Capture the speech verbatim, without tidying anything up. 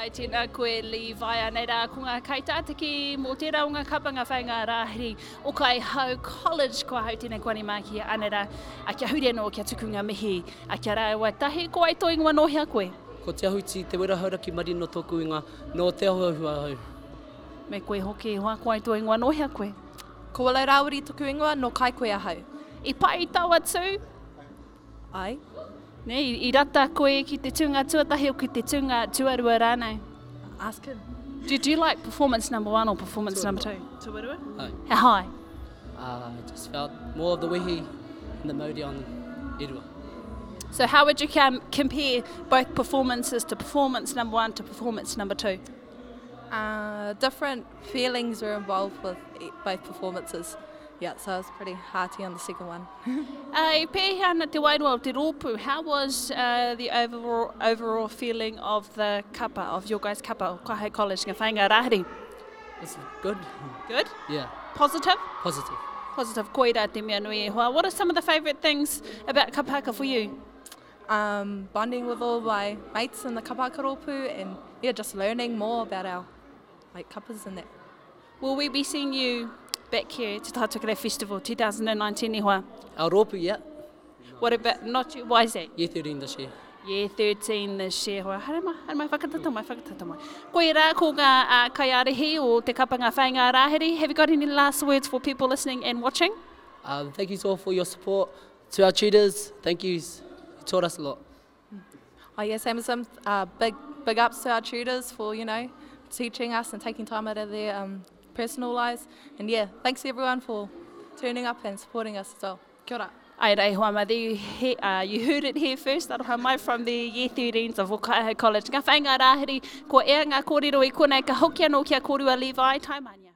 Ai, tēnā koe Levi, anei rā ko ngā kaitātaki mō tērā o ngā kapa ngā whainga rāhiri o Kaihau College, ko ahau tēnei ko Ani Māki, anei rā, a kia huri anō, kia tuku ngā mihi, a kia rāua tahi, ko ai tō ingoa nō hea koe? Ko Te Ahuti, Te Wera Hauraki Marino tōku ingoa, nō Te Ahuahu ahau. Me koe hoki, hoa, ko ai tō ingoa nō hea koe? Ko Willow Rāwiri toku ingoa, nō Kaikohe ahau. I pai taua tū? Ai. Ne, i, i rata koe ki te tūnga tuatahi o ki te tūnga tuarua rānei? Ask him. Did you like performance number one or performance number two? Tuarua? Ai. He hai. Uh, I just felt more of the wehi and the mauri on Erua. So how would you com compare both performances to performance number one to performance number two? Uh, different feelings were involved with e- both performances. Yeah, so I was pretty hearty on the second one. Uh, i pēhea ana te wairua o te rōpū, how was uh, the overall, overall feeling of the kapa, of your guys' kapa, o Kaihau College, ngā whainga rāhiri? It's good. Good? Yeah, Positive? positive. Positive koira te mea nui e hoa. What are some of the favourite things about kapahaka for you? Um, bonding with all my mates in the kapahaka rōpū and yeah, just learning more about our like kapas and that. Will we be seeing you back here at Te Tai Tokerau Festival twenty nineteen e hoa? Our rōpū, yeah. What about, not you, why is that? Year thirteen this year. Year thirteen this year. Hoa, haere mai, haere mai, whakatata mai, whakatata mai. Koe rā, ko ngā uh, kaiārahi o te kapa ngā whainga rāhiri. Have you got any last words for people listening and watching? Um, thank you all for your support. To our tutors, thank you. You taught us a lot. Oh yeah, same as them. Uh, big, big ups to our tutors for, you know, teaching us and taking time out of their um, personal lives. And yeah, thanks everyone for turning up and supporting us as well. Kia ora. Ai rei hoa mai, you, he, uh, you heard it here first, aroha mai from the year thirteens of Kaihau College. Ngā whainga rāhiri, ko ea ngā kōrero i konei, ka hoki anō kia kōrua Levi, taimania.